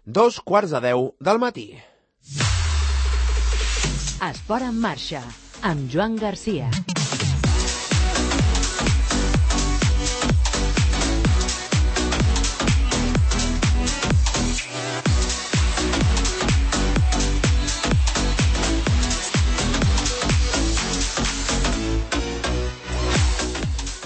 2:45 del matí. Esport en marxa, amb Joan Garcia.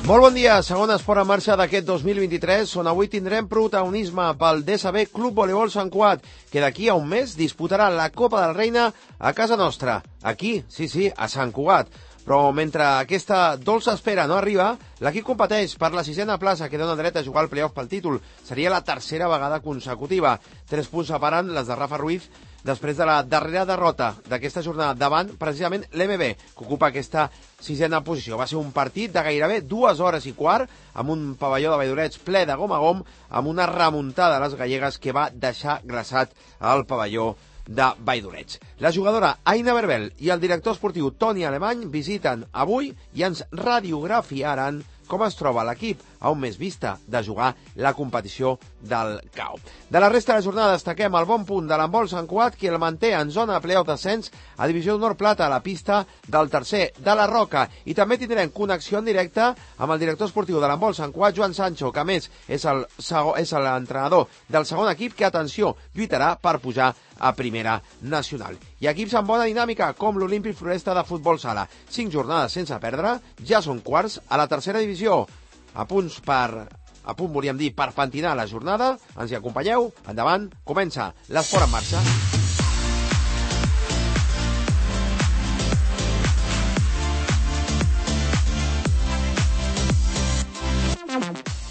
Molt bon dia, segon esport en marxa d'aquest 2023, on avui tindrem protagonisme pel DSB Club Voleibol Sant Cugat, que d'aquí a un mes disputarà la Copa del Reina a casa nostra. Aquí, sí, a Sant Cugat. Però mentre aquesta dolça espera no arriba, l'equip competeix per la 6a plaça que dona dret a jugar al playoff pel títol. Seria la tercera vegada consecutiva. 3 punts separen les de Rafa Ruiz després de la darrera derrota d'aquesta jornada davant precisament l'MB, que ocupa aquesta 6a posició. Va ser un partit de gairebé 2 hores i quart, amb un pavelló de Valldoreix ple de gom a gom, amb una remuntada de les gallegues que va deixar glaçat al pavelló de Valldoreix. La jugadora Aina Berbel i el director esportiu Toni Alemany visiten avui i ens radiografiaran com es troba l'equip a un mes vista de jugar la competició del CAO. De la resta de la jornada destaquem el bon punt de l'handbol Sant Cugat, que el manté en zona playoff descens a Divisió d'Honor Plata a la pista del tercer de la Roca. I també tindrem connexió en directe amb el director esportiu de l'handbol Sant Cugat, Joan Sancho, que a més és l'entrenador del segon equip que, atenció, lluitarà per pujar a primera nacional. I equips amb bona dinàmica, com l'Olímpic Floresta de futbol sala. 5 jornades sense perdre, ja són quarts a la tercera divisió. A punt, volíem dir, per pentinar la jornada. Ens hi acompanyeu? Endavant, comença l'esport en marxa.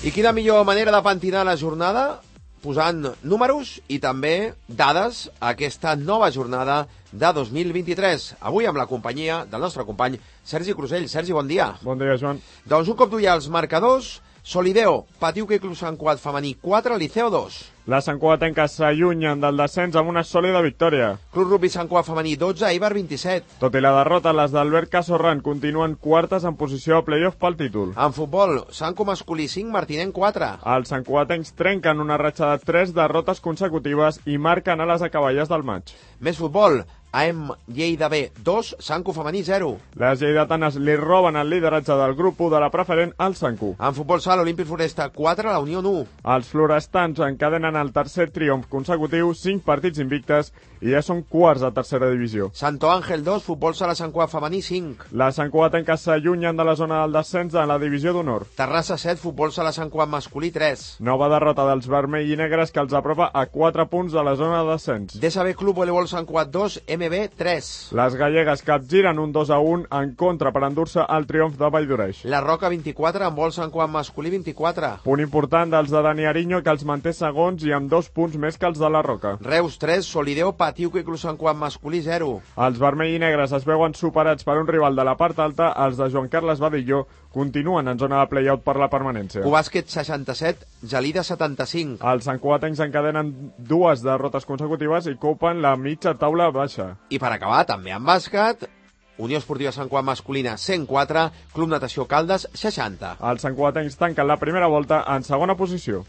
I quina millor manera de pentinar la jornada? Posant números i també dades a aquesta nova jornada de 2023. Avui amb la companyia del nostre company Sergi Crusell. Sergi, bon dia. Bon dia, Joan. Doncs un cop d'ull als marcadors. Solideo, Patiuca i Club Sant Cugat femení 4, Liceo 2. Les santcugatenques s'allunyen del descens amb una sòlida victòria. Club Rugby Sant Cugat femení 12, Eibar 27. Tot i la derrota, les d'Albert Casorran continuen quartes en posició a playoff pel títol. En futbol, Santco masculí 5, Martinenc 4. Els santcugatencs trenquen una ratxa de 3 derrotes consecutives i marquen a les acaballes del maig. Més futbol, AM Lleida B 2, Santco femení 0. Les lleidatanes li roben el lideratge del grup 1 de la preferent al Santco. En futbol sala, Olímpic Floresta 4, la Unió 1. Els florestans encadenen el tercer triomf consecutiu, 5 partits invictes i ja són quarts a tercera divisió. Santo Ángel 2, futbol sala Sant Cugat femení 5. Les santcugatenques s'allunyen de la zona del descens a la divisió d'honor. Terrassa 7, futbol sala Sant Cugat masculí 3. Nova derrota dels vermell i negres que els apropa a 4 punts de la zona de descens. DSB Club Voleibol Sant Cugat 2, MB 3. Les gallegues capgiren un 2-1 en contra per endur-se el triomf de Valldoreix. La Roca 24, en vol Sant Cugat masculí 24. Punt important dels de Dani Ariño, que els manté segons i amb 2 punts més que els de la Roca. Reus 3, Solideo, Patiuca i Club Sant Cugat masculí 0. Els vermell i negres es veuen superats per un rival de la part alta. Els de Joan Carles Badilló continuen en zona de play-out per la permanència. Cubàsquet 67, Gelida 75. Els santcugatencs encadenen 2 derrotes consecutives i copen la mitja taula baixa. I per acabar, també en bàsquet, Unió Esportiva Sant Cugat masculina 104, Club Natació Caldes 60. Els santcugatencs tanquen la primera volta en segona posició.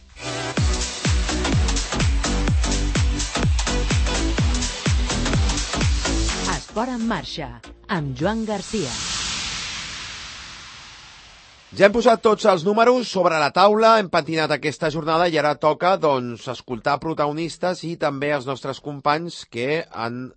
Esport en marxa, amb Joan Garcia. Ja hem posat tots els números sobre la taula, hem patinat aquesta jornada i ara toca, doncs, escoltar protagonistes i també els nostres companys que han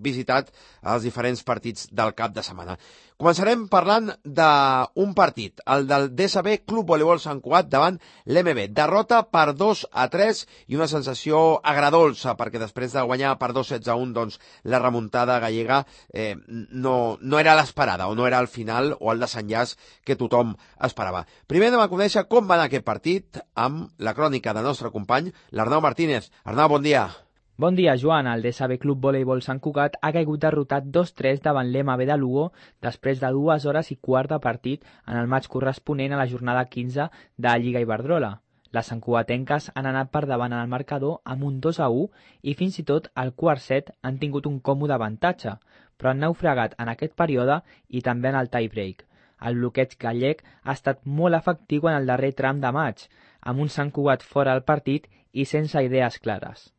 visitat els diferents partits del cap de setmana. Començarem parlant d'un partit, el del DSB Club Voleibol Sant Cugat davant l'MB. Derrota per 2-3 i una sensació agradolça, perquè després de guanyar per 2-16-1, doncs la remuntada gallega no era l'esperada, o no era el final o el desenllaç que tothom esperava. Primer anem a conèixer com va anar aquest partit amb la crònica del nostre company, l'Arnau Martínez. Arnau, bon dia. Bon dia, Joan. El DSB Club Voleibol Sant Cugat ha caigut derrotat 2-3 davant l'MB de Lugo després de 2 hores i quart de partit en el maig corresponent a la jornada 15 de Lliga Iberdrola. Les santcugatenques han anat per davant en el marcador amb un 2-1 i fins i tot al quart set han tingut un còmode avantatge, però han naufragat en aquest període i també en el tie-break. El bloqueig gallec ha estat molt efectiu en el darrer tram de maig, amb un Sant Cugat fora del partit i sense idees clares.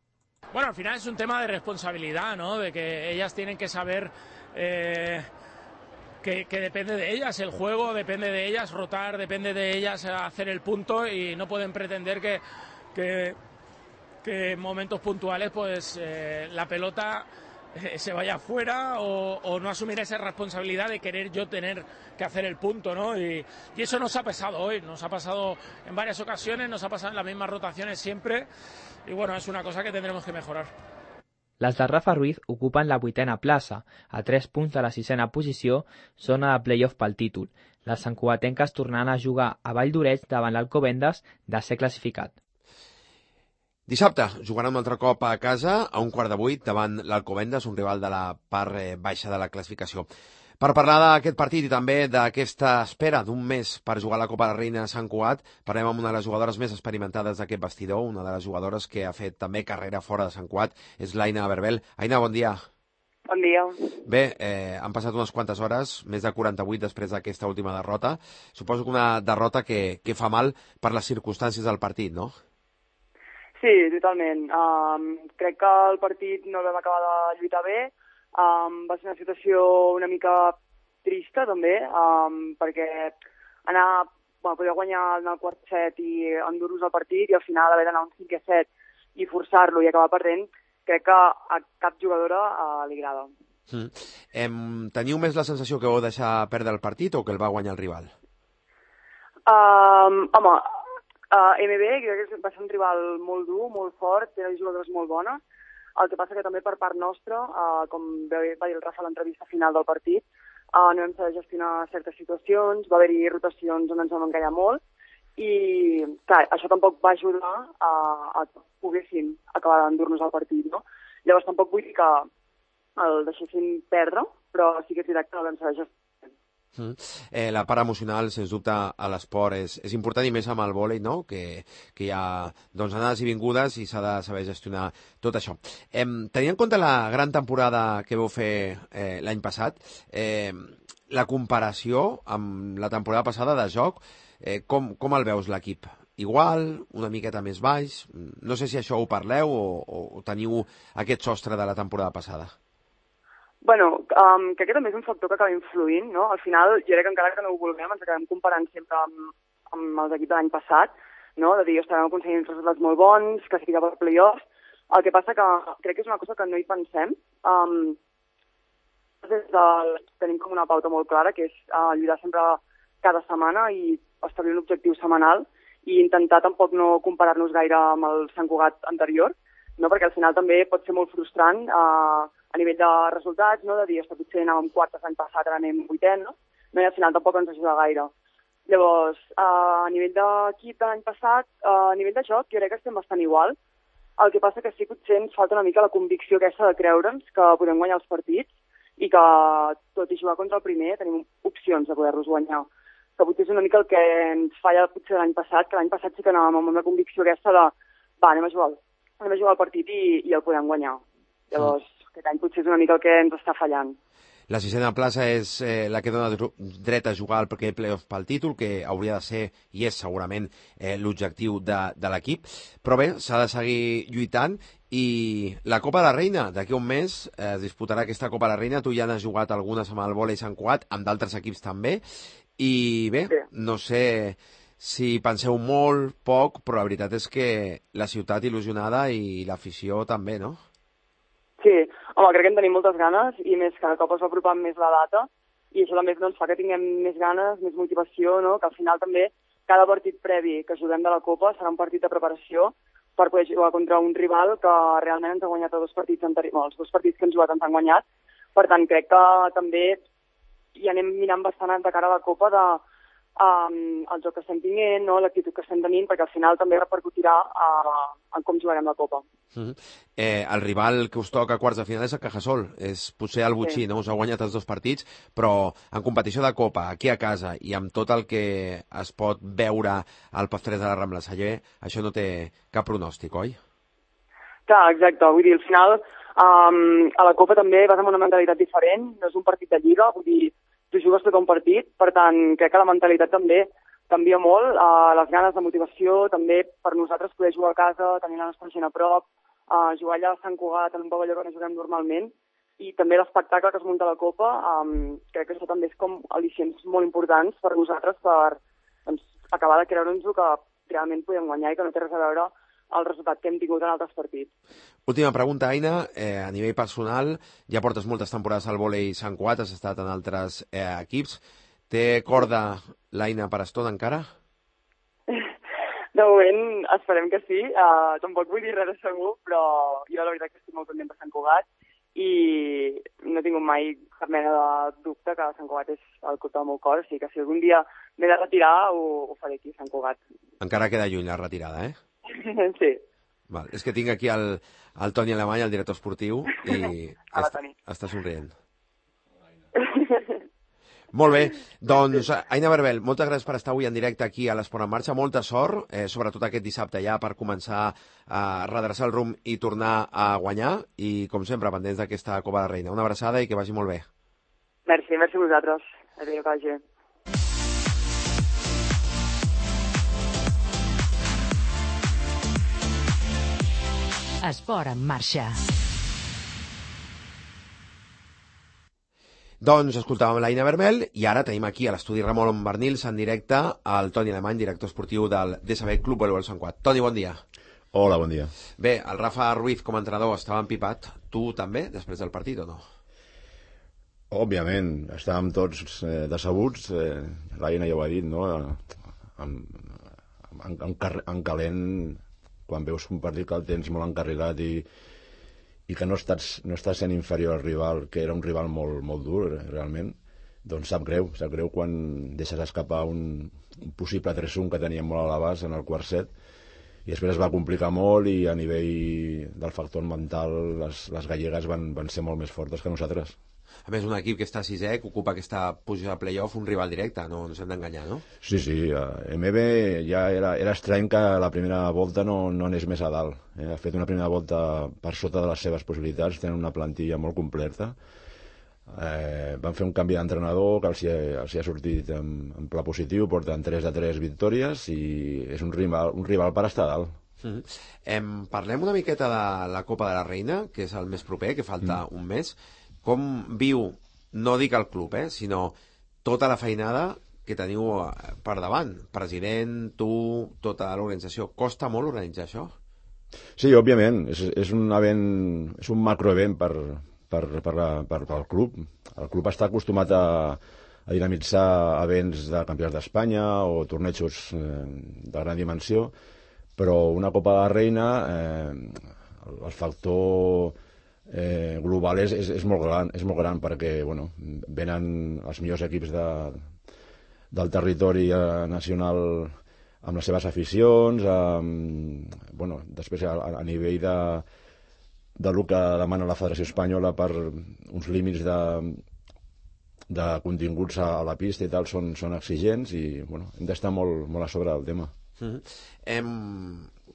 Bueno, al final es un tema de responsabilidad, ¿no? De que ellas tienen que saber que depende de ellas el juego, depende de ellas rotar, depende de ellas hacer el punto y no pueden pretender que en momentos puntuales pues la pelota se vaya afuera o no asumir esa responsabilidad de querer yo tener que hacer el punto, ¿no? Y eso nos ha pasado hoy, nos ha pasado en varias ocasiones, nos ha pasado en las mismas rotaciones siempre y bueno, es una cosa que tendremos que mejorar. Les de Rafa Ruiz ocupen la 8a plaça, a 3 punts de la 6a posició, zona de play-off pel títol. Les santcugatenques tornaran a jugar a Vall d'Oreig davant l'Alcobendas de ser classificat. Dissabte jugaran un altre cop a casa a 7:15 davant l'Alcobendas, un rival de la part baixa de la classificació. Per parlar d'aquest partit i també d'aquesta espera d'un mes per jugar a la Copa de la Reina a Sant Cugat, parlem amb una de les jugadores més experimentades d'aquest vestidor, una de les jugadores que ha fet també carrera fora de Sant Cugat, és l'Aina Berbel. Aina, bon dia. Bon dia. Bé, han passat unes quantes hores, més de 48 després d'aquesta última derrota. Suposo que una derrota que fa mal per les circumstàncies del partit, no? Sí, totalment. Crec que el partit no el vam acabar de lluitar bé. Va ser una situació una mica trista, també, perquè poder guanyar en el quart set i endur-nos el partit i al final haver d'anar un 5-7 i forçar-lo i acabar perdent, crec que a cap jugadora li agrada. Teniu més la sensació que vau deixar perdre el partit o que el va guanyar el rival? MB crec que va ser un rival molt dur, molt fort, té jugadores molt bones. El que passa que també per part nostra, com va dir el Rafa a l'entrevista final del partit, no vam saber gestionar certes situacions, va haver-hi rotacions on ens vam encallar molt i clar, això tampoc va ajudar a que poguéssim acabar d'endur-nos el partit, no? Llavors tampoc vull dir que el deixéssim perdre, però sí que és veritat que no vam saber gestionar. La part emocional, sens dubte, a l'esport és important i més amb el vòlei, no? Que hi ha anades i vingudes i s'ha de saber gestionar tot això. Tenint en compte la gran temporada que vau fer l'any passat, la comparació amb la temporada passada de joc, com el veus l'equip? Igual, una miqueta més baix? No sé si això ho parleu o teniu aquest sostre de la temporada passada. Bueno, crec que també és un factor que acaba influint, no? Al final, jo crec que encara que no ho vulguem, ens acabem comparant sempre amb els equips de l'any passat, no? De dir, estem aconseguint resultats molt bons, classificar per play-offs. El que passa que crec que és una cosa que no hi pensem. Tenim com una pauta molt clara, que és lluitar sempre cada setmana i establir un objectiu setmanal i intentar tampoc no comparar-nos gaire amb el Sant Cugat anterior, no? Perquè al final també pot ser molt frustrant a nivell de resultats, no? De dir, potser anàvem quartes l'any passat, ara anem vuitens, no? I al final tampoc ens ajuda gaire. Llavors, a nivell d'equip de l'any passat, a nivell de joc, jo crec que estem bastant igual. El que passa que sí, potser ens falta una mica la convicció aquesta de creure'ns que podem guanyar els partits i que, tot i jugar contra el primer, tenim opcions de poder-los guanyar. Que potser és una mica el que ens falla potser l'any passat, que l'any passat sí que anàvem amb una convicció aquesta de anem a jugar el partit i el podem guanyar. Llavors, aquest any potser és una mica el que ens està fallant. La 6a plaça és la que dona dret a jugar al primer play-off pel títol, que hauria de ser, i és segurament, l'objectiu de l'equip. Però bé, s'ha de seguir lluitant i la Copa de la Reina, d'aquí un mes, es disputarà aquesta Copa de la Reina. Tu ja n'has jugat algunes amb el vòlei Sant Cugat, amb d'altres equips també. I bé, no sé si penseu molt, poc, però la veritat és que la ciutat il·lusionada i l'afició també, no? Sí, home, crec que en tenim moltes ganes i més cada cop es va apropant més la data i això també fa que tinguem més ganes, més motivació, no? Que al final també cada partit previ que juguem de la Copa serà un partit de preparació per poder jugar contra un rival que realment ens ha guanyat els dos partits anteriors, els dos partits que ens jugat ens han guanyat. Per tant, crec que també hi anem mirant bastant de cara a la Copa el joc que estem tinguent, no? L'actitud que estem tenint, perquè al final també repercutirà en com jugarem la Copa. El rival que us toca a quarts de final és el Cajasol, és potser el botxí, no? Us ha guanyat els dos partits, però en competició de Copa, aquí a casa, i amb tot el que es pot veure al Pastorets de la Rambla Celler, això no té cap pronòstic, oi? Clar, exacte. Vull dir, al final, a la Copa també vas amb una mentalitat diferent, no és un partit de lliga, vull dir, tu jugues tot un partit, per tant, crec que la mentalitat també canvia molt, les ganes de motivació, també per nosaltres poder jugar a casa, tenir la nostra gent a prop, jugar allà a Sant Cugat en un pavelló que no juguem normalment, i també l'espectacle que es munta a la Copa, crec que això també és com al·licients molt importants per nosaltres per acabar de creure'ns-ho que realment podem guanyar i que no té res a veure el resultat que hem tingut en altres partits. Última pregunta, Aina. A nivell personal, ja portes moltes temporades al vòlei Sant Cugat, has estat en altres equips. Té corda l'Aina per estona encara? De moment esperem que sí. Tampoc vull dir res de segur, però jo la veritat que estic molt content per Sant Cugat i no he tingut mai cap mena de dubte que Sant Cugat és el club del meu cor, o sigui que si algun dia m'he de retirar ho faré aquí a Sant Cugat. Encara queda lluny la retirada, eh? Sí. Val. És que tinc aquí el Toni Alemany, el director esportiu, i està somrient. Molt bé, doncs Aina Berbel, moltes gràcies per estar avui en directe aquí a l'Esport en Marxa, molta sort, sobretot aquest dissabte ja per començar a redreçar el rumb i tornar a guanyar, i com sempre pendents d'aquesta Copa de Reina. Una abraçada i que vagi molt bé. Merci a vosaltres. Adéu, que vagi bé. Esport en Marxa. Doncs escoltàvem l'Aina Berbel i ara tenim aquí a l'estudi Ramon Barnils en directe el Toni Alemany, director esportiu del DSB Club Voleibol Sant Cugat. Toni, bon dia. Hola, bon dia. Bé, el Rafa Ruiz com a entrenador estava empipat. Tu també, després del partit, o no? Òbviament, estàvem tots decebuts. L'Aina ja ho ha dit, no? En calent, quan veus un partit que el tens molt encarrilat i que no estàs sent inferior al rival, que era un rival molt dur, realment, doncs sap greu quan deixes escapar un possible 3-1 que teníem molt a l'abast en el quart set, i després es va complicar molt i a nivell del factor mental les gallegues van ser molt més fortes que nosaltres. A més, un equip que està sisè, que ocupa aquesta posició de play-off, un rival directe, no ens hem d'enganyar, no? Sí, MB ja era estrany que la primera volta no anés més a dalt. Ha fet una primera volta per sota de les seves possibilitats, tenen una plantilla molt completa. Van fer un canvi d'entrenador que els hi ha sortit en pla positiu, porten 3-3 victòries i és un rival per estar a dalt. Parlem una miqueta de la Copa de la Reina, que és el més proper, que falta un mes. Com viu, no dic el club, sinó tota la feinada que teniu per davant? President, tu, tota l'organització. Costa molt organitzar això? Sí, òbviament. És un event, és un macroevent pel club. El club està acostumat a dinamitzar events de campionats d'Espanya o tornejos de gran dimensió, però una Copa de la Reina, el factor global és molt gran perquè venen els millors equips del territori nacional amb les seves aficions, després a nivell del que demana la Federació Espanyola per uns límits de continguts a la pista i tal són exigents i hem d'estar molt a sobre del tema.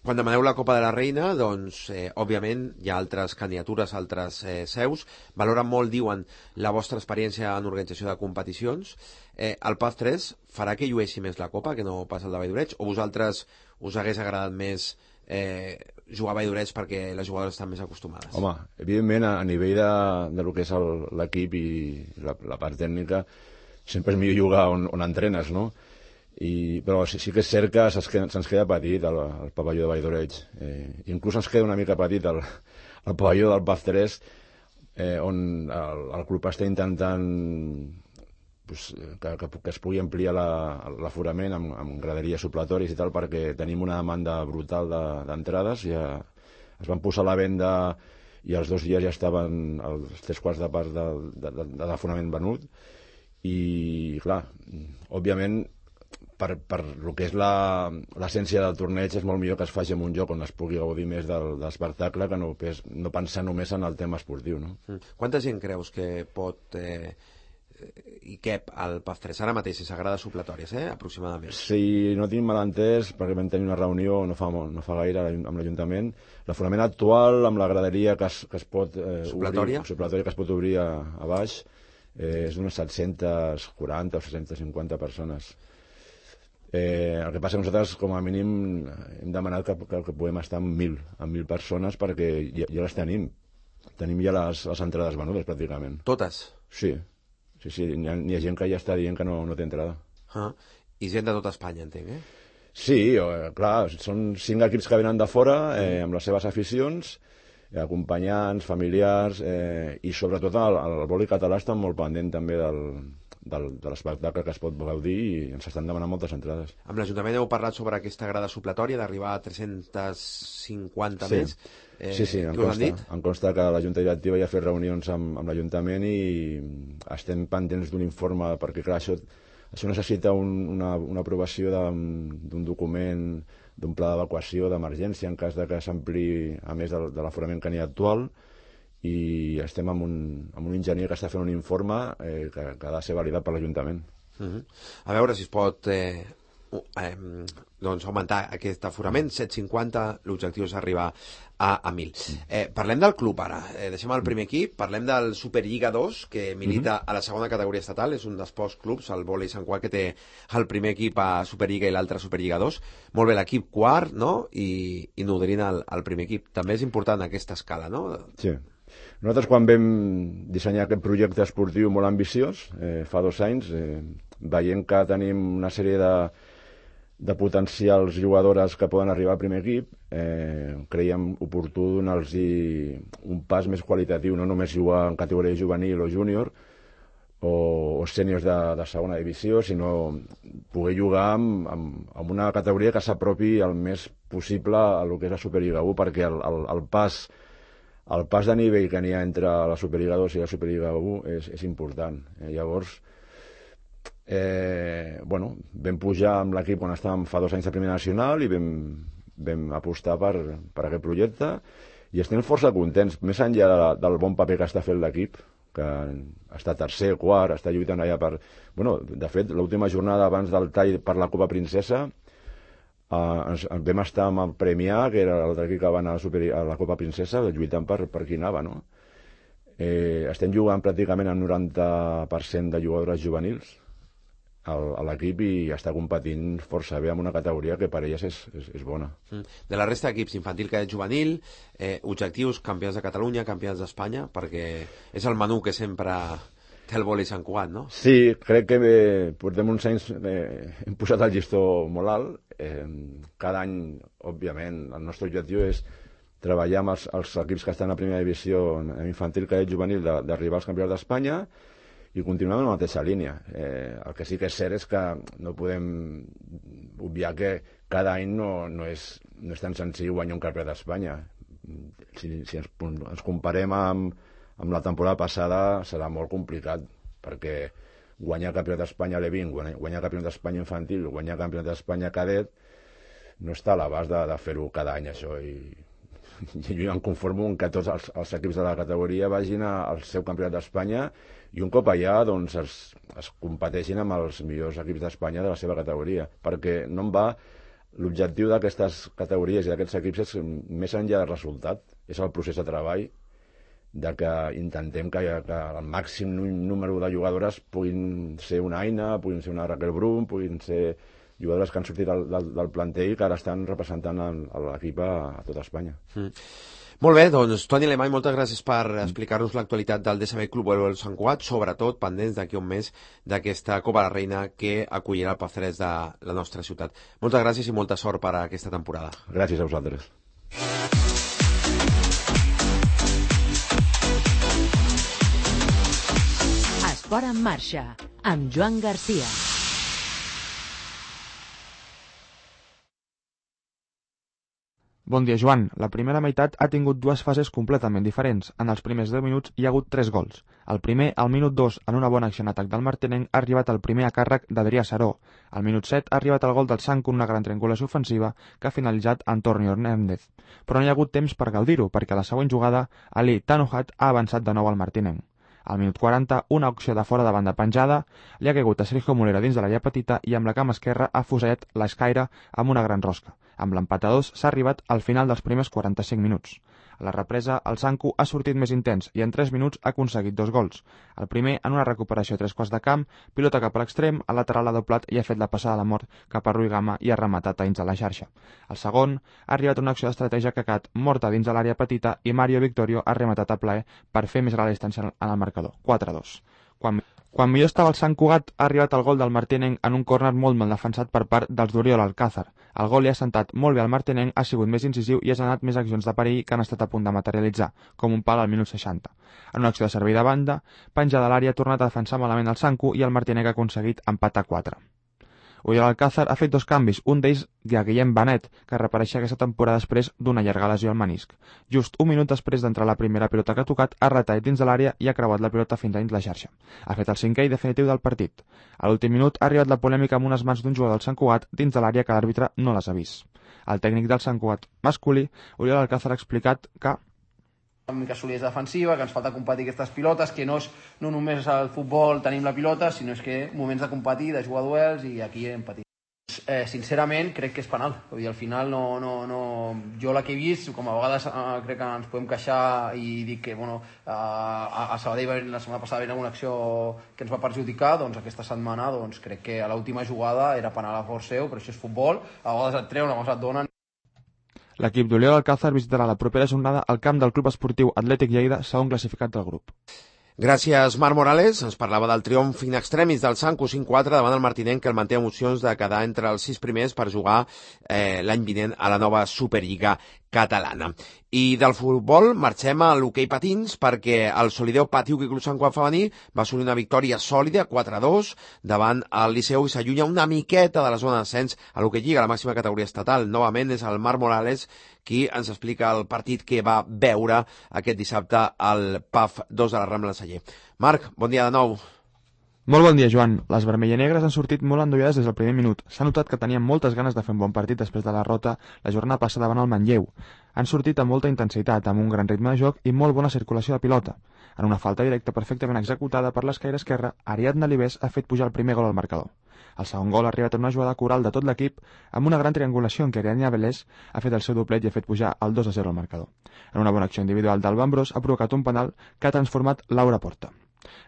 Quan demaneu la Copa de la Reina, doncs, òbviament, hi ha altres candidatures, altres seus. Valoren molt, diuen, la vostra experiència en organització de competicions. El PAF 3 farà que llueixi més la Copa, que no pas el de Vall-d'Oreig? O vosaltres us hagués agradat més jugar a Vall-d'Oreig perquè les jugadores estan més acostumades? Home, evidentment, a nivell de lo que és l'equip i la part tècnica, sempre és millor jugar on entrenes, no? Però sí que és cert que se'ns queda petit el pavelló de Vall-d'Oreig. Inclús ens queda una mica petit el pavelló del PAF 3, on el club està intentant que es pugui ampliar l'aforament amb graderies supletoris i tal, perquè tenim una demanda brutal d'entrades. Ja es van posar a la venda i els 2 dies ja estaven els 3/4 de part de l'aforament venut. I, clar, òbviament, per el que és l'essència del torneig, és molt millor que es faci en un lloc on es pugui gaudir més de l'espectacle que no pensar només en el tema esportiu, no? Quanta gent creus que pot i cap al PAF 3 ara mateix, si s'agrada supletòries, aproximadament? Si no tinc mal entès, perquè vam tenir una reunió no fa gaire amb l'Ajuntament, l'aforament actual amb la graderia que es pot supletòria que es pot obrir a baix és d'unes 740 o 750 persones. El que passa que nosaltres, com a mínim, hem demanat que puguem estar amb 1.000 persones perquè ja les tenim. Tenim ja les entrades venudes, pràcticament. Totes? Sí. N'hi ha gent que ja està dient que no té entrada. I gent de tota Espanya, entenc, Sí, clar, són 5 equips que venen de fora, amb les seves aficions, acompanyants, familiars, i sobretot el vòlei català està molt pendent també de l'espectacle que es pot gaudir i ens estan demanant moltes entrades. Amb l'Ajuntament heu parlat sobre aquesta grada supletòria d'arribar a 350 més. Sí, em consta que la Junta Directiva ja ha fet reunions amb l'Ajuntament i estem pendents d'un informe, perquè clar, això necessita una aprovació d'un document, d'un pla d'evacuació d'emergència en cas de que s'ampli a més de l'aforament que n'hi ha actual, i estem amb un enginyer que està fent un informe que ha de ser validat per l'Ajuntament. A veure si es pot augmentar aquest aforament, 750, l'objectiu és arribar a 1.000. Parlem del club ara, deixem el primer equip, parlem del Superliga 2, que milita a la segona categoria estatal, és un dels pocs clubs, el vòlei Sant Cugat, que té el primer equip a Superliga i l'altre a Superliga 2. Molt bé, l'equip quart, no?, i nodrint el primer equip. També és important aquesta escala, no? Sí. Nosaltres, quan vam dissenyar aquest projecte esportiu molt ambiciós, fa 2 anys, veient que tenim una sèrie de potencials jugadores que poden arribar al primer equip, creiem oportú donar-los un pas més qualitatiu, no només jugar en categoria juvenil o júnior o sèniors de segona divisió, sinó poder jugar amb una categoria que s'apropi el més possible a lo que és la Superliga 1, perquè el pas de nivell que n'hi ha entre la Superliga 2 i la Superliga 1 és important. Llavors, vam pujar amb l'equip quan estàvem fa 2 anys de Primera Nacional i vam apostar per aquest projecte i estem força contents, més enllà del bon paper que està fent l'equip, que està tercer, quart, està lluitant allà per... de fet, l'última jornada abans del tall per la Copa Princesa vam estar amb el Premià, que era l'altre equip que va anar a la Copa Princesa, lluitant per qui anava, no? Estem jugant pràcticament amb 90% de jugadores juvenils a l'equip i està competint força bé amb una categoria que per elles és bona. De la resta d'equips, infantil, cadet, juvenil, objectius, campions de Catalunya, campions d'Espanya, perquè és el menú que sempre té el vòlei Sant Cugat, no? Sí, crec que portem uns anys, hem posat el llistó molt alt. Cada any, òbviament, el nostre objectiu és treballar amb els equips que estan a primera divisió en infantil, cadet, juvenil, d'arribar als campions d'Espanya i continuem en la mateixa línia. El que sí que és cert és que no podem obviar que cada any no és tan senzill guanyar un campionat d'Espanya. Si ens comparem amb la temporada passada serà molt complicat, perquè guanyar campionat d'Espanya a l'E20, guanyar campionat d'Espanya infantil, guanyar campionat d'Espanya cadet, no està a l'abast de fer-ho cada any, això. I jo em conformo que tots els equips de la categoria vagin al seu campionat d'Espanya i un cop allà doncs, es competeixin amb els millors equips d'Espanya de la seva categoria, perquè no en va... L'objectiu d'aquestes categories i d'aquests equips és més enllà del resultat, és el procés de treball, de que intentem que el màxim número de jugadores puguin ser una Aina, puguin ser una Raquel Brum, puguin ser jugadores que han sortit del planter i que ara estan representant l'equip a tota Espanya. Molt bé, doncs Toni Alemany, moltes gràcies per explicar-nos l'actualitat del DSB Club Voleibol Sant Cugat, sobretot pendents d'aquí un mes d'aquesta Copa de la Reina que acollirà el Palcerès de la nostra ciutat. Moltes gràcies i molta sort per a aquesta temporada. Gràcies a vosaltres. Esport en marxa, amb Joan Garcia. Bon dia, Joan. La primera meitat ha tingut 2 fases completament diferents. En els primers 10 minuts hi ha hagut 3 gols. El primer, al minut 2, en una bona acció en atac del martinenc, ha arribat el primer a càrrec d'Adrià Saró. Al minut 7 ha arribat el gol del Sant con una gran triangulació ofensiva que ha finalitzat Antonio Hernández. Però no hi ha hagut temps per gaudir-ho, perquè a la següent jugada, Ali Tanohat ha avançat de nou al martinenc. Al minut 40, una opció de fora de banda penjada, li ha caigut a Sergio Molera dins de l'àrea petita i amb la cama esquerra ha fusellat l'escaire amb una gran rosca. Amb l'empat a 2 s'ha arribat al final dels primers 45 minuts. A la represa, el Sanku ha sortit més intens i en 3 minuts ha aconseguit 2 gols. El primer, en una recuperació a 3 quarts de camp, pilota cap a l'extrem, el lateral ha doblat i ha fet la passada de la mort cap a Rui Gama i ha rematat a dins de la xarxa. El segon, ha arribat una acció d'estratègia que ha quedat morta dins de l'àrea petita i Mario Victorio ha rematat a plaer per fer més gran la distància en el marcador, 4-2. Quan millor estava el Sant Cugat, ha arribat el gol del Martinenc en un córner molt mal defensat per part dels d'Oriol Alcázar. El gol li ha sentat molt bé al Martinenc, ha sigut més incisiu i ha generat més accions de perill que han estat a punt de materialitzar, com un pal al minut 60. En una acció de servei de banda, penja de l'àrea ha tornat a defensar malament el Sanku i el Martinenc ha aconseguit empatar 4. Oriol Alcázar ha fet 2 canvis, un d'ells a Guillem Benet, que reapareixia aquesta temporada després d'una llarga lesió al menisc. Just un minut després d'entrar la primera pilota que ha tocat, ha retallat dins de l'àrea i ha creuat la pilota fins a dins la xarxa. Ha fet el 5è i definitiu del partit. A l'últim minut ha arribat la polèmica amb unes mans d'un jugador del Sant Cugat dins de l'àrea que l'àrbitre no les ha vist. El tècnic del Sant Cugat masculí, Oriol Alcázar, ha explicat que una mica solidesa defensiva, que ens falta competir aquestes pilotes, que no només al futbol tenim la pilota, sinó és que moments de competir, de jugar duels, i aquí hem patit. Sincerament, crec que és penal. Vull dir, al final, jo la que he vist, com a vegades crec que ens podem queixar i dir que a Sabadell la setmana passada va haver una acció que ens va perjudicar, doncs aquesta setmana crec que a l'última jugada era penal a favor seu, però això és futbol, a vegades et treuen, a vegades et donen. L'equip d'Oriol Alcázar visitarà la propera jornada al camp del Club Esportiu Atlètic Lleida, segon classificat del grup. Gràcies, Marc Morales. Ens parlava del triomf in extremis del Sanku 5-4 davant el Martinenc, que el manté emocions de quedar entre els 6 primers per jugar l'any vinent a la nova Superliga catalana. I del futbol marxem a l'hoquei patins perquè el Solideo Patiuc i Club Sant Cugat femení va assolir una victòria sòlida 4-2 davant el Liceu i s'allunya una miqueta de la zona d'ascens a l'hoquei lliga, a la màxima categoria estatal. Novament és el Marc Morales qui ens explica el partit que va veure aquest dissabte al PAF 2 de la Rambla de Celler. Marc, bon dia de nou. Molt bon dia, Joan. Les vermellanegres han sortit molt endollades des del primer minut. S'ha notat que tenien moltes ganes de fer un bon partit després de la derrota la jornada passada davant el Manlleu. Han sortit amb molta intensitat, amb un gran ritme de joc i molt bona circulació de pilota. En una falta directa perfectament executada per l'esquaire esquerre, Ariadna Libés ha fet pujar el primer gol al marcador. El segon gol ha arribat en una jugada coral de tot l'equip amb una gran triangulació en què Ariadna Vélez ha fet el seu doblet i ha fet pujar el 2-0 al marcador. En una bona acció individual d'Alba Ambrós ha provocat un penal que ha transformat Laura Porta.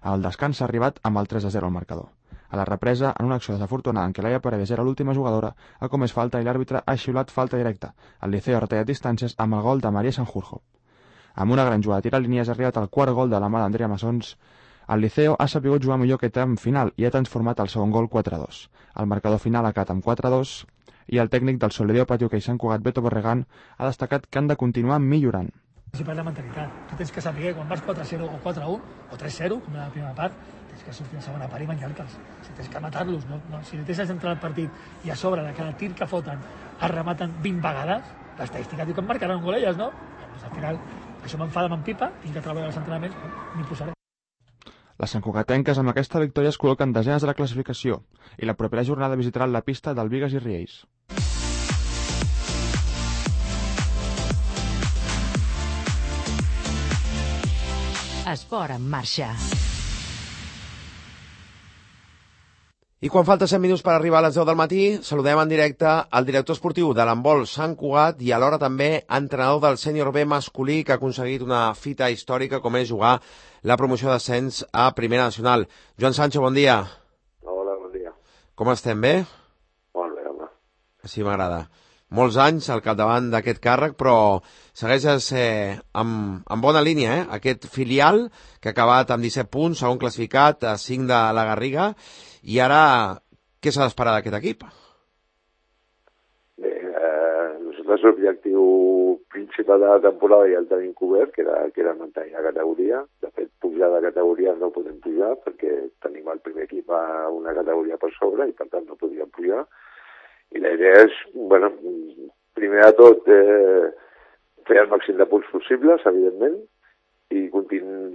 El descans ha arribat amb el 3-0 al marcador. A la represa, en una acció desafortunada en què Laia Paredes era l'última jugadora, ha comès falta i l'àrbitre ha xiulat falta directa. El Liceo ha retallat distàncies amb el gol de Maria Sanjurjo. Amb una gran jugada de tirar línies ha arribat el quart gol de la mà d'Andrea Massons. El Liceo ha sabut jugar millor que en final i ha transformat el segon gol 4-2. El marcador final ha quedat amb 4-2 i el tècnic del Solideo Patiuc i Sant Cugat, Beto Borregan, ha destacat que han de continuar millorant. Si per la mentalitat, tu tens que saber quan vas 4-0 o 4-1 o 3-0, com la primera part, tens que sortir en segona part i menjar-te'ls. Si tens que matar-los, si no tens d'entrar al partit i a sobre de cada tir que foten es rematen 20 vegades, l'estadística diu que em marcaran un gol elles, no? Doncs al final, això m'enfada, m'empipa, tinc que treballar els entrenaments, m'hi posaré. Les santcugatenques amb aquesta victòria es col·loquen desenes de la classificació i la propera jornada visitaran la pista del Bigues i Riells. Esport en marxa. I quan falta 100 minuts per arribar a les 10 del matí, saludem en directe al director esportiu de l'handbol Sant Cugat i alhora també entrenador del sènior B masculí que ha aconseguit una fita històrica com és jugar la promoció d'ascens a Primera Nacional. Joan Sancho, bon dia. Hola, bon dia. Com estem, bé? Molt bé, home. Així m'agrada. Molts anys al capdavant d'aquest càrrec, però segueixes amb bona línia, Aquest filial que ha acabat amb 17 punts, segon classificat, a 5 de la Garriga. I ara, què s'ha d'esperar d'aquest equip? Bé, nosaltres l'objectiu principal de la temporada ja el tenim cobert, que era mantenir la categoria. De fet, pujar de categoria no podem pujar perquè tenim el primer equip a una categoria per sobre i per tant no podíem pujar. I la idea és, primer de tot, fer el màxim de punts possibles, evidentment, i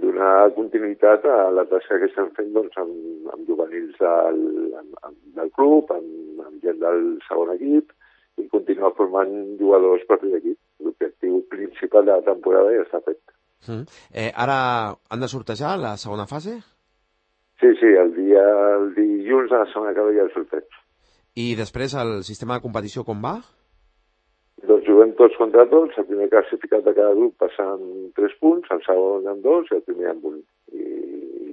donar continuïtat a la tasca que estem fent amb juvenils del club, amb gent del segon equip, i continuar formant jugadors per l'equip. L'objectiu principal de la temporada ja està fet. Ara han de sortejar la segona fase? Sí, el dilluns a la setmana que ve ja el sorteig. I després el sistema de competició com va? Doncs juguem tots contra tots, el primer classificat de cada grup passa amb 3 punts, el segon amb 2 i el primer amb 1. I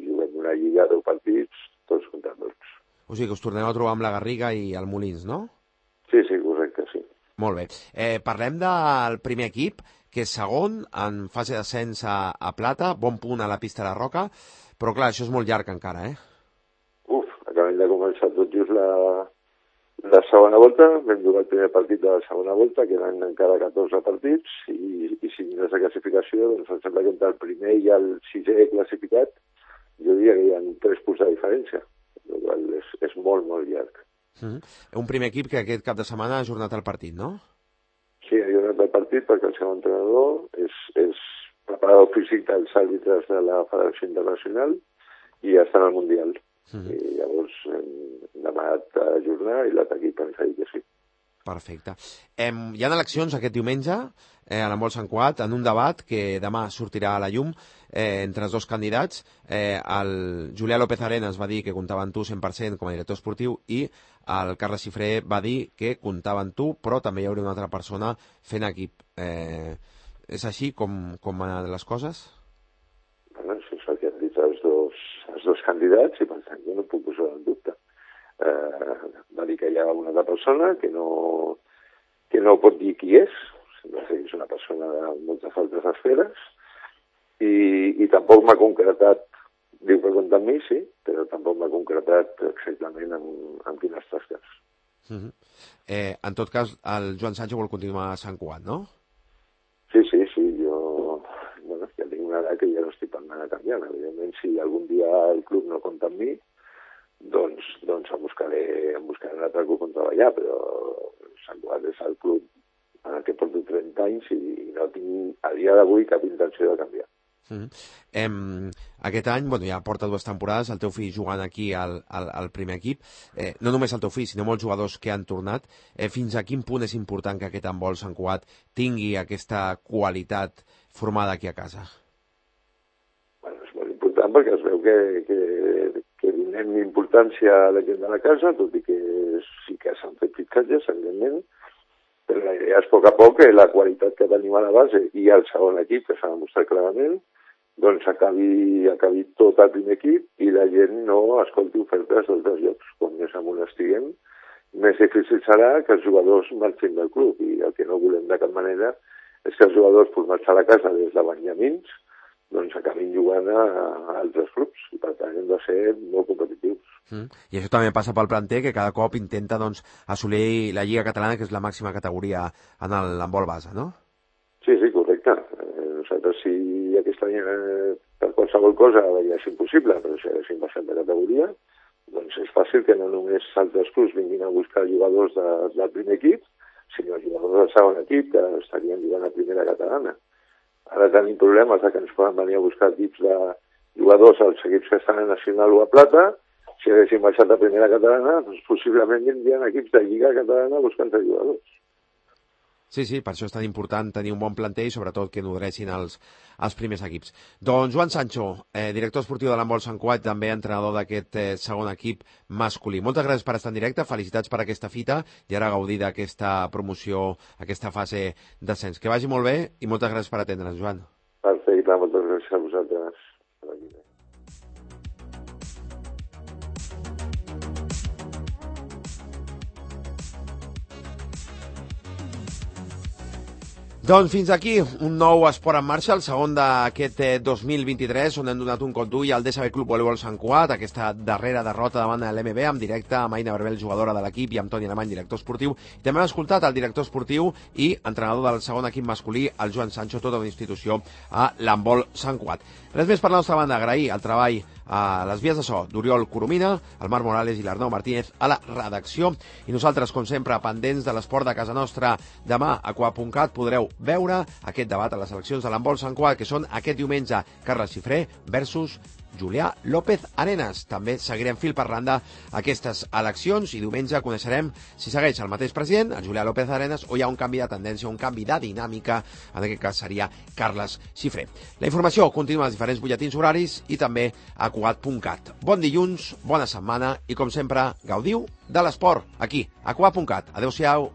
juguem una lliga de 10 partits, tots contra tots. O sigui que us torneu a trobar amb la Garriga i el Molins, no? Sí, correcte, sí. Molt bé. Parlem del primer equip, que és segon, en fase d'ascens a plata, bon punt a la pista de Roca, però clar, això és molt llarg encara, eh? Acabem de començar tot just la segona volta, vam jugar el primer partit de la segona volta, queden encara 14 partits, i si mires la classificació, doncs em sembla que entre el primer i el sisè classificat, jo diria que hi ha 3 punts de diferència, el qual és molt, molt llarg. Un primer equip que aquest cap de setmana ha ajornat el partit, no? Sí, ha ajornat el partit perquè el seu entrenador és preparador físic dels àrbitres de la Federació Internacional i està en el Mundial. I llavors hem demanat ajornar i l'altre equip ens ha dit que sí. Perfecte. Hi ha eleccions aquest diumenge a l'Handbol Sant Cugat en un debat que demà sortirà a la llum entre els dos candidats. El Julià López Arenas va dir que comptava en tu 100% com a director esportiu i el Carles Xifré va dir que comptava en tu, però també hi hauria una altra persona fent equip. És així com van anar les coses? Bueno, això és el que han dit els dos candidats i per tant jo no puc posar en dubte. Va dir que hi ha una altra persona que no pot dir qui és, sembla que és una persona de moltes altres esferes i tampoc m'ha concretat, diu que compta amb mi, sí, però tampoc m'ha concretat exactament amb quines tasques. En tot cas, el Joan Sancho vol continuar a Sant Cugat, no? Sí, jo ja tinc una edat que ja no estic pensant a canviar. Evidentment, si algun dia el club no compta amb mi, doncs em buscaré un altre club on treballar, però Sant Cugat és el club en el que porto 30 anys i no tinc a dia d'avui cap intenció de canviar. Aquest any, ja porta 2 temporades, el teu fill jugant aquí al primer equip, no només el teu fill, sinó molts jugadors que han tornat. Fins a quin punt és important que aquest handbol Sant Cugat tingui aquesta qualitat formada aquí a casa? És molt important perquè es veu que donem importància a la gent de la casa, tot i que sí que s'han fet fitxatges, evidentment, però la idea és a poc que la qualitat que tenim a la base i el segon equip, que s'ha demostrat clarament, doncs acabi tot el primer equip i la gent no escolti ofertes d'altres llocs. Com més amunt estiguem, més difícil serà que els jugadors marxin del club i el que no volem de cap manera és que els jugadors formats a la casa des de Benjamins doncs acabin jugant a altres clubs i per tant hem de ser molt competitius. I això també passa pel planter, que cada cop intenta assolir la Lliga Catalana, que és la màxima categoria en l'handbol base, no? Sí, correcte. Nosaltres, si aquest any per qualsevol cosa és impossible, però si haguéssim passat de categoria, doncs és fàcil que no només altres clubs vinguin a buscar jugadors del primer equip, sinó jugadors del segon equip que estarien jugant a primera catalana. Ara tenim problemes que ens poden venir a buscar equips de jugadors als equips que estan a Nacional o a Plata. Si haguéssim baixat a primera catalana, doncs possiblement vindrien equips de Lliga Catalana buscant jugadors. Sí, per això és tan important tenir un bon planter i sobretot que nodressin els primers equips. Doncs Joan Sancho, director esportiu de l'handbol Sant Cugat, també entrenador d'aquest segon equip masculí. Moltes gràcies per estar en directe, felicitats per aquesta fita i ara gaudir d'aquesta promoció, aquesta fase d'ascens. Que vagi molt bé i moltes gràcies per atendre'ns, Joan. Perfecte, moltes gràcies a vosaltres. Doncs fins aquí un nou Esport en Marxa, el segon d'aquest 2023, on hem donat un cop d'ull al DSB Club Voleibol Sant Cugat, aquesta darrera derrota davant de l'MB, en directe amb Aina Barbel, jugadora de l'equip, i amb Toni Alemany, director esportiu. I també hem escoltat el director esportiu i entrenador del segon equip masculí, el Joan Sancho, tota una institució a l'handbol Sant Cugat. Res més per la nostra banda, agrair el treball a les vies de so d'Oriol Coromina, el Marc Morales i l'Arnau Martínez a la redacció. I nosaltres, com sempre, pendents de l'esport de casa nostra. Demà a Coa.cat podreu veure aquest debat a les eleccions de l'handbol Sant Cugat, que són aquest diumenge Carles Xifré versus Julià López Arenas. També seguirem fil per randa aquestes eleccions i diumenge coneixerem si segueix el mateix president, el Julià López Arenas, o hi ha un canvi de tendència, un canvi de dinàmica, en aquest cas seria Carles Xifré. La informació continua als diferents butlletins horaris i també a Cugat.cat. Bon dilluns, bona setmana i, com sempre, gaudiu de l'esport aquí, a Cugat.cat. Adéu-siau.